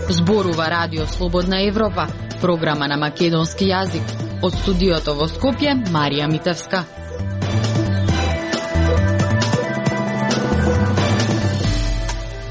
Зборува Радио Слободна Европа, програма на македонски јазик. Од студиото во Скопје, Марија Митевска.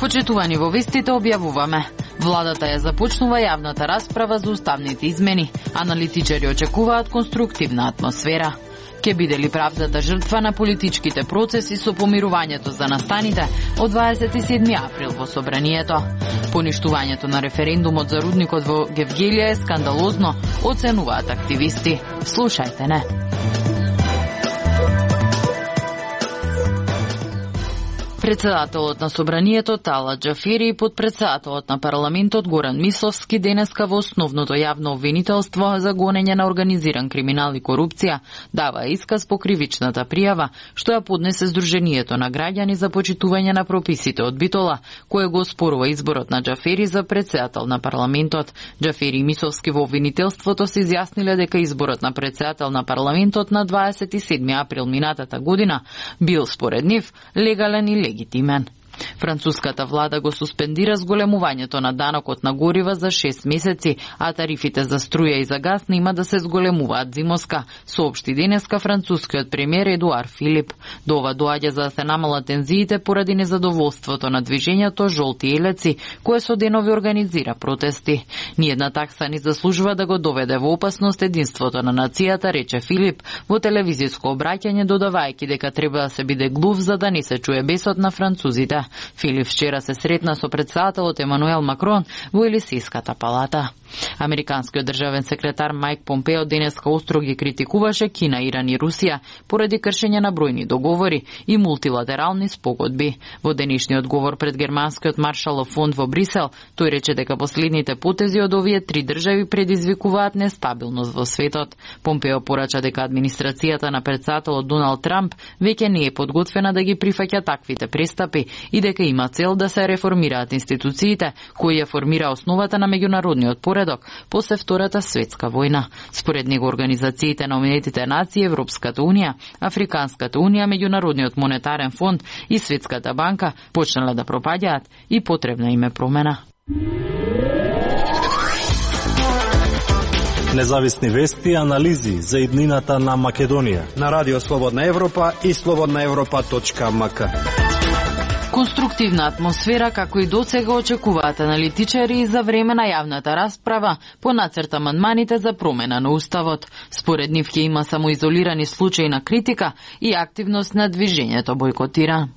Почитувани во вестите објавуваме. Владата ја започнува јавната расправа за уставните измени. Аналитичари очекуваат конструктивна атмосфера. Ке биде ли правдата жртва на политичките процеси со помирувањето за настаните од 27 април во Собранието? Поништувањето на референдумот за рудникот во Гевгелија е скандалозно, оценуваат активисти. Слушајте не. Председателот на Собранието Талат Џафери и подпредседателот на парламентот Горан Мисловски денеска во основното јавно обвинителство за гонење на организиран криминал и корупција дава исказ по кривичната пријава што ја поднесе Сдруженијето на граѓани за почитување на прописите од Битола, кое го оспорува изборот на Џафери за председател на парламентот. Џафери и Мисловски во обвинителството се изјасниле дека изборот на председател на парламентот на 27 април минатата година бил според нив легален и легитимен. Француската влада го суспендира зголемувањето на данокот на горива за 6 месеци, а тарифите за струја и за газ нема да се зголемуваат зимоска, соопшти денеска францускиот премиер Едуар Филип. До ова доаѓа за да се намалат тензиите поради незадоволството на движењето Жолти елеци, кое со денови организира протести. Ниедна такса не заслужува да го доведе во опасност единството на нацијата, рече Филип во телевизиско обраќање, додавајќи дека треба да се биде глув за да не се чуе бесот на французите. Филип вчера се сретна со председателот Емануел Макрон во Елисејската палата. Американскиот државен секретар Мајк Помпео денеска остро ги критикуваше Кина, Иран и Русија поради кршење на бројни договори и мултилатерални спогодби. Во денешниот говор пред Германскиот Маршалов фонд во Брисел, тој рече дека последните потези од овие три држави предизвикуваат нестабилност во светот. Помпео порача дека администрацијата на председателот Доналд Трамп веќе не е подготвена да ги прифаќа таквите престапи и дека има цел да се реформираат институциите кои ја формира основата на меѓународниот поредок после Втората светска војна. Според него организациите на Обединетите нации, Европската унија, Африканската унија, Меѓународниот монетарен фонд и Светската банка почнале да пропаѓаат и потребна им е промена. Независни вести и анализи за иднината на Македонија на Радио Слободна Европа и slobodnaevropa.mk. Конструктивна атмосфера, како и досега очекуваат аналитичари за време на јавната расправа по нацрт амандманите за промена на Уставот. Според нив ќе има само изолирани случаи на критика и активност на движењето Бојкотира.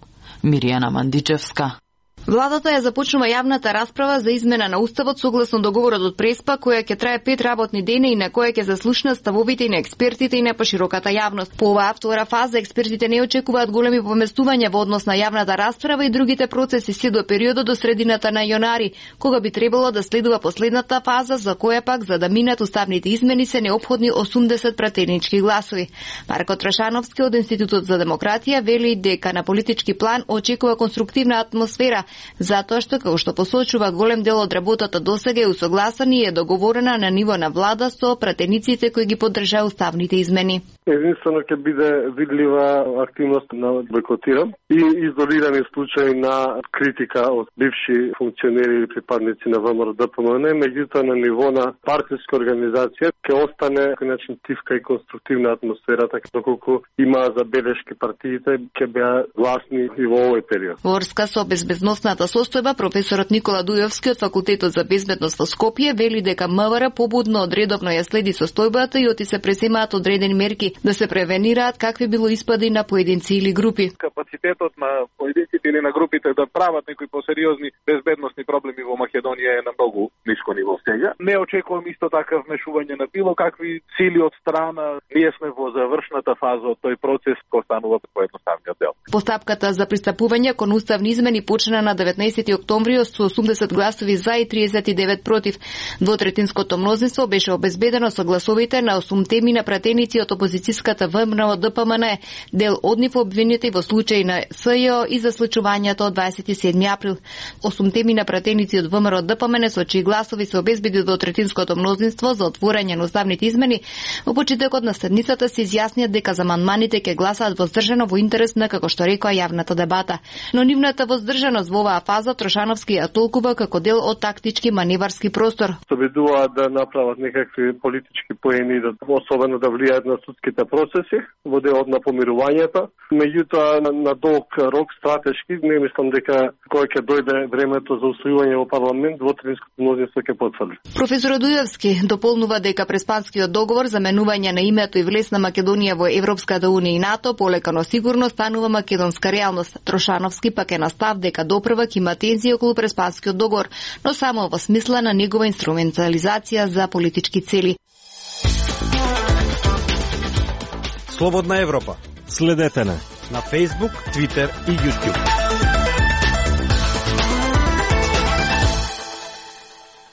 Миријана Мандичевска. Владата ја започнува јавната расправа за измена на Уставот согласно договорот од Преспа, која ќе трае 5 работни дена и на која ќе заслушнат ставовите и на експертите и на пошироката јавност. По оваа втора фаза експертите не очекуваат големи поместувања во однос на јавната расправа и другите процеси се до периодот до средината на јанари, кога би требало да следува последната фаза, за која пак за да минат уставните измени се неопходни 80 пратенички гласови. Марко Трашановски од Институтот за демократија вели дека на политички план очекува конструктивна атмосфера, затоа што, како што посочува, голем дел од работата досега е усогласена и е договорена на ниво на влада со пратениците кои ги поддржаа уставните измени. Единствено ќе биде видлива активност на Бојкотира и изолирани случаи на критика од бивши функционери или припадници на ВМРО ДПМН, меѓутоа на ниво на партиска организација ќе остане начин тивка и конструктивна атмосфера, така доколку има забелешки партиите ќе беа гласни и во овој период. Во врска со безбедносната состојба, професорот Никола Дујовски од Факултетот за безбедност во Скопје вели дека МВР побудно одредовно ја следи состојбата и оти се преземаат одредени мерки да се превенираат какви било испади на поединци или групи. Капацитетот на поединците или на групите да прават некои посериозни безбедносни проблеми во Македонија е на многу ниско ниво сега. Не очекувам исто така вмешување на било какви сили од страна. Ние сме во завршната фаза од тој процес кој станува поедноставниот дел. Постапката за пристапување кон уставни измени почна на 19 октомври со 80 гласови за и 39 против. Двотретинското мнозинство беше обезбедено со гласовите на 8 теми на пратеници од опозицијата русиската ВМРО ДПМН, дел од нив обвинети во случај на СЈО и за случувањето од 27 април. 8 темина пратеници од ВМРО ДПМН со чии гласови се обезбеди двотретинското мнозинство за отворање на уставните измени, во почетокот на седмицата се изјаснија дека за амандманите ќе гласаат воздржано во интерес на, како што рекоа, јавната дебата. Но нивната воздржаност во оваа фаза Трошановски ја толкува како дел од тактички маневарски простор. Се обидуваат да направат некакви политички поени, особено да влијаат на судските процеси во делот на помирувањето. Меѓутоа, на долг рок стратешки, не мислам дека кога ќе дојде времето за усвојување во парламент, двотретинското мнозинство ќе потврди. Професор Дујевски дополнува дека Преспанскиот договор за менување на името и влез на Македонија во Европската унија и НАТО полека но сигурно станува македонска реалност. Трошановски пак е на став дека допрвак има тензии околу Преспанскиот договор, но само во смисла на негова инструментализација за политички цели. Слободна Европа. Следете на Facebook, Twitter и YouTube.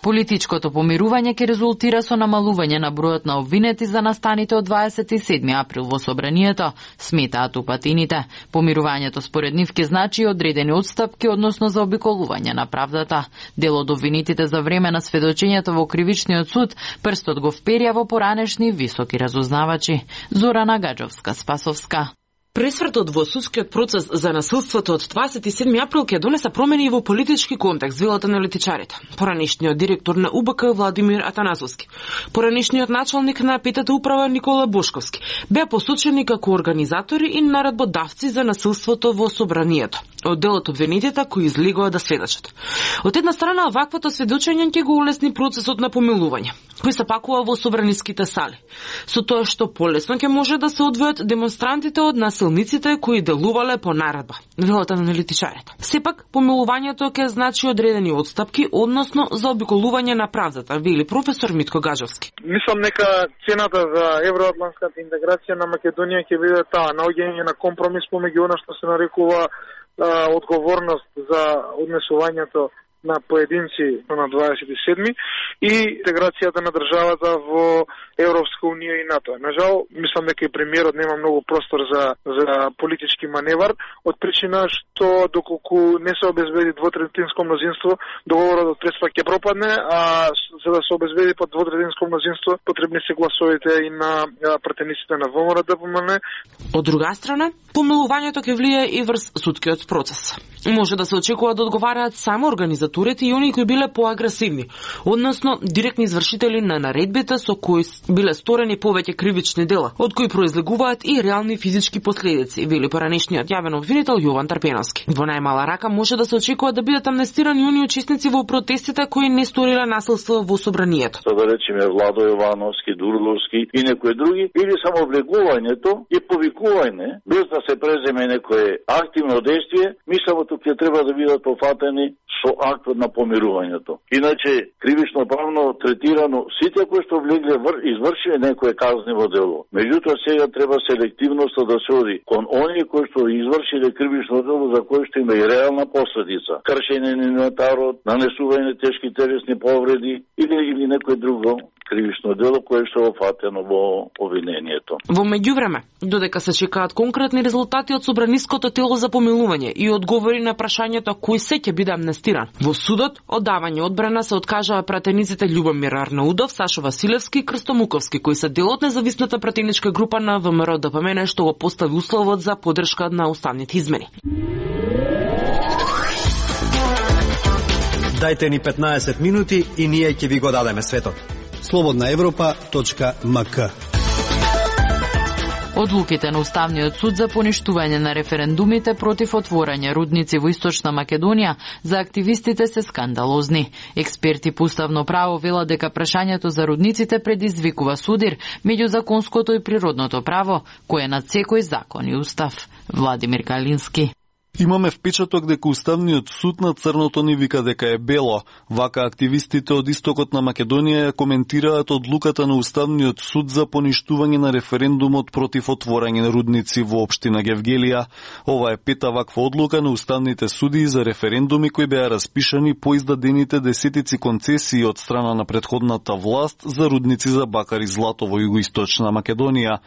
Политичкото помирување ќе резултира со намалување на бројот на обвинети за настаните од 27 април во собранието, сметаат упатините. Помирувањето според нив ќе значи одредени отстапки, односно за обиколување на правдата. Дел од обвинетите за време на сведочењето во кривичниот суд прстот го вперија во поранешни високи разузнавачи. Зорана Гаджовска-Спасовска. Пресвртот во судскиот процес за насилството од 27 април ќе донесе промени во политички контекст, велат аналитичарите. Поранешниот директор на УБК Владимир Атанасовски, поранешниот началник на петата управа Никола Бошковски беа посочени како организатори и наредбодавци за насилството во собранието, од делот обвинетите кои излегоа да сведочат. Од една страна, ваквото сведочење ќе го улесни процесот на помилување, кој се пакува во собраниските сали, со тоа што полесно ќе може да се одвојат демонстрантите од насилниците кои делувале по наредба, велат аналитичарите. Сепак, помилувањето ќе значи одредени отстапки, односно за обиколување на правдата, вели професор Митко Гажовски. Мислам дека цената за евроатлантската интеграција на Македонија ќе биде таа наоѓање на компромис помеѓу она што се нарекува одговорност за однесувањето на поединци на 27 и интеграцијата на државата во Европска унија и НАТО. Нажал, мислам дека и премиерот нема многу простор за политички маневар, од причина што доколку не се обезбеди двотретинско мнозинство, договорот од Преспа ќе пропадне, а за да се обезбеди под двотретинско мнозинство, потребни се гласовите и на пратениците на ВМРО ДПМН. Од друга страна, помилувањето ќе влијае и врз судскиот процес. Може да се очекува да одговараат само организаторите и оние кои биле поагресивни, односно директни извршители на наредбите со кои биле сторени повеќе кривични дела, од кои произлегуваат и реални физички последици, вели поранешниот јавен обвинител Јован Трпеновски. Во најмала рака може да се очекува да бидат амнестирани оние учесници во протестите кои не сториле насилство во собранието. Да речеме Владо Јовановски, Дурловски и некои други, или само влегувањето и повикување без да се преземе некое активно действие, мислам ќе треба да бидат пофатени со актот на помирувањето. Иначе, кривично правно третирано сите кои што влегле извршиле некое казниво дело. Меѓутоа сега треба селективноста да се оди кон оние кои што извршиле кривично дело за кое што има и реална последица. Кршење на инвентарот, нанесување тешки телесни повреди или некое друго кривично дело кое што е офатено во обвинението. Во меѓувреме, додека се чекаат конкретни резултати од собраниското тело за помилување и одговори на прашањето кој се ќе биде амнестиран, во судот оддавање одбрана се откажаа пратениците Љубомир Арнаудов, Сашо Василевски и Крсто Муковски, кои се дел од независната пратеничка група на ВМРО ДПМН што го постави условот за поддршка на уставните измени. Дајте ни 15 минути и ние ќе ви го дадеме светот. slobodnaevropa.mk. Одлуките на Уставниот суд за поништување на референдумите против отворање рудници во Источна Македонија за активистите се скандалозни. Експерти по уставно право велат дека прашањето за рудниците предизвикува судир меѓу законското и природното право, кое над секој закон и устав. Владимир Калински. Имаме впечаток дека Уставниот суд на црното ни вика дека е бело. Вака активистите од истокот на Македонија ја коментираат одлуката на Уставниот суд за поништување на референдумот против отворање на рудници во општина Гевгелија. Ова е пета ваква одлука на уставните суди за референдуми кои беа распишани по издадените десетици концесии од страна на претходната власт за рудници за бакар и злато во југоисточна Македонија.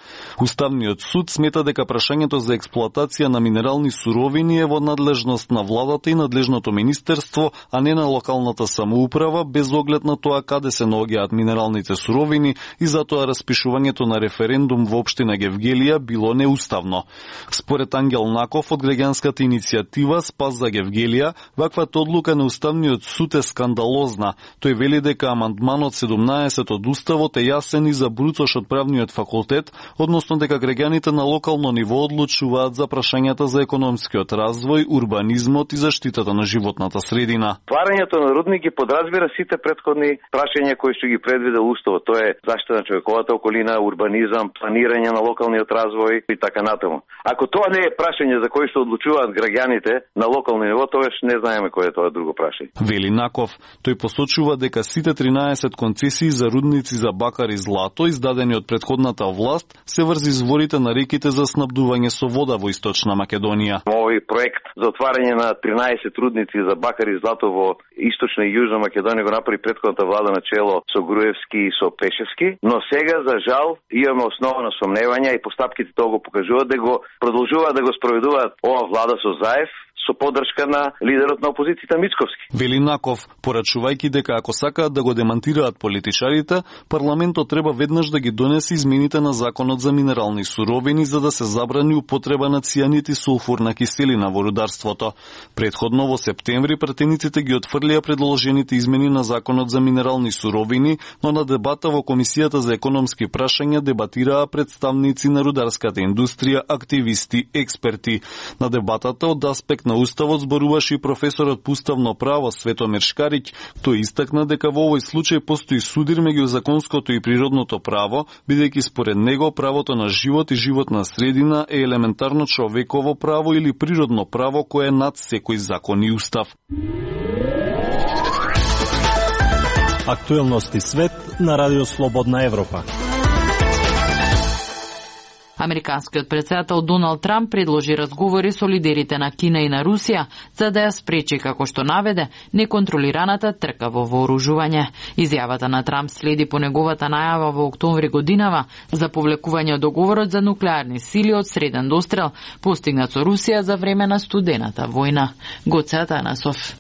Уставниот суд смета дека прашањето за експлоатација на минерални суровини е во надлежност на владата и надлежното министерство, а не на локалната самоуправа, без оглед на тоа каде се наоѓаат минералните суровини, и затоа распишувањето на референдум во општина Гевгелија било неуставно. Според Ангел Наков од граѓанската иницијатива Спас за Гевгелија, ваквата одлука на Уставниот суд е скандалозна. Тој вели дека амандманот 17 од Уставот е јасен и за бруцош од правниот факултет, односно дека граѓаните на локално ниво одлучуваат за прашањата за економскиот развој, урбанизмот и заштитата на животната средина. Тварањето на рудник ги подразбира сите претходни прашања кои што ги предвидел Уставот. Тоа е заштита на човековата околина, урбанизам, планирање на локалниот развој и така натаму. Ако тоа не е прашање за кои што одлучуваат граѓаните на локално ниво, тогаш не знаеме кој е тоа друго прашање. Вели Наков, тој посочува дека сите 13 концесии за рудници за бакар и злато издадени од претходната власт се врз изворите на реките за снабдување со вода во Источна Македонија. Овој проект за отварање на 13 рудници за бакар и злато во Источна и Јужна Македонија го направи претходната влада на чело со Груевски и со Пешевски, но сега за жал имаме основа на сомневања и постапките тоа го покажуваат дека го продолжуваат да го спроведуваат ова влада со Заев со поддршка на лидерот на опозицијата Мицковски. Вели Наков, порачувајќи дека ако сакаат да го демантираат политичарите, парламентот треба веднаш да ги донесе измените на законот за минерални суровини за да се забрани употреба на цијанид и сулфурна киселина во рударството. Претходно во септември пратениците ги отфрлија предложените измени на законот за минерални суровини, но на дебата во Комисијата за економски прашања дебатираа представници на рударската индустрија, активисти, експерти. На дебатата од аспект на Уставот зборуваше и професорот по уставно право Светомир Шкариќ. Тој истакна дека во овој случај постои судир меѓу законското и природното право, бидејќи според него правото на живот и животна средина е елементарно човеково право или природно право кое е над секој закон и устав. Актуелности свет на Радио Слободна Европа. Американскиот председател Доналд Трамп предложи разговори со лидерите на Кина и на Русија за да ја спречи, како што наведе, неконтролираната трка во вооружување. Изјавата на Трамп следи по неговата најава во октомври годинава за повлекување од договорот за нуклеарни сили од среден дострел, постигнат со Русија за време на студената војна. Гоце Атанасов.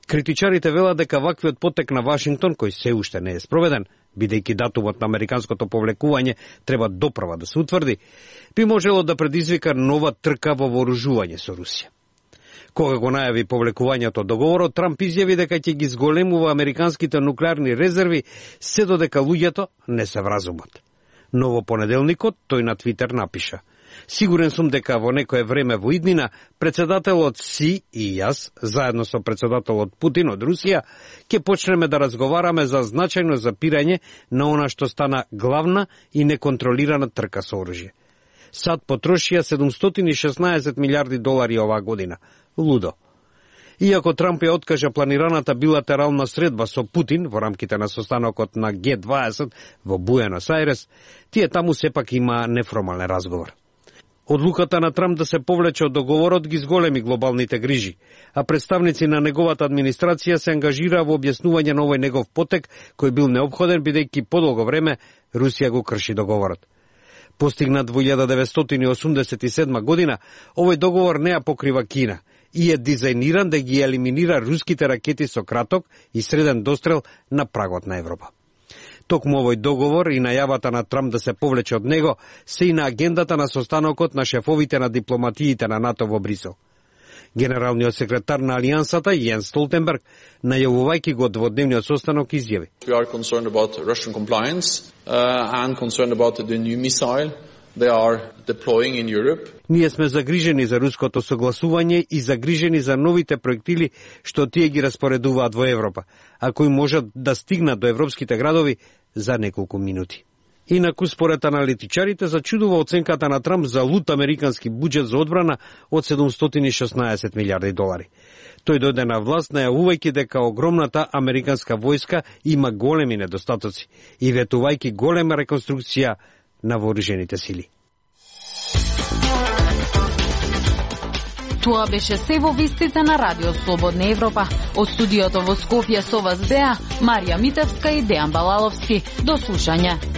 Критичарите велат дека ваквиот потек на Вашингтон, кој се уште не е спроведен, бидејќи датумот на американското повлекување треба допрва да се утврди, би можело да предизвика нова трка во вооружување со Русија. Кога го најави повлекувањето од договорот, Трамп изјави дека ќе ги зголемува американските нуклеарни резерви се додека луѓето не се вразумат. Но во понеделникот тој на Твитер напиша: "Сигурен сум дека во некое време во иднина председателот Си и јас, заедно со председателот Путин од Русија, ќе почнеме да разговараме за значајно запирање на она што стана главна и неконтролирана трка со оружје. САД потрошија 716 милиарди долари оваа година. Лудо." Иако Трамп ја откажа планираната билатерална средба со Путин во рамките на состанокот на Г20 во Буенос Ајрес, тие таму сепак има неформален разговор. Одлуката на Трамп да се повлече од договорот ги зголеми глобалните грижи, а представници на неговата администрација се ангажира во објаснување на овој негов потек, кој бил необходен бидејќи подолго време Русија го крши договорот. Постигнат во 1987 година, овој договор не ја покрива Кина и е дизајниран да ги елиминира руските ракети со краток и среден дострел на прагот на Европа. Токму овој договор и најавата на Трамп да се повлече од него се и на агендата на состанокот на шефовите на дипломатиите на НАТО во Брисел. Генералниот секретар на Алијансата Јенс Столтенберг, најавувајќи го дводневниот состанок, изјави: "We are concerned about Russian compliance and concerned about the new missile they are deploying in Europe." Ние сме загрижени за руското согласување и загрижени за новите проектили што тие ги распоредуваат во Европа, а кои можат да стигнат до европските градови за неколку минути. Инаку, според аналитичарите, зачудува оценката на Трамп за лут американски буџет за одбрана од 716 милиарди долари. Тој дојде на власт најавувајќи дека огромната американска војска има големи недостатоци и ветувајќи голема реконструкција на вооружените сили. Тоа беше се во вестите на Радио Слободна Европа. Од студиото во Скопје со вас беа Марија Митевска и Дејан Балаловски. До слушање.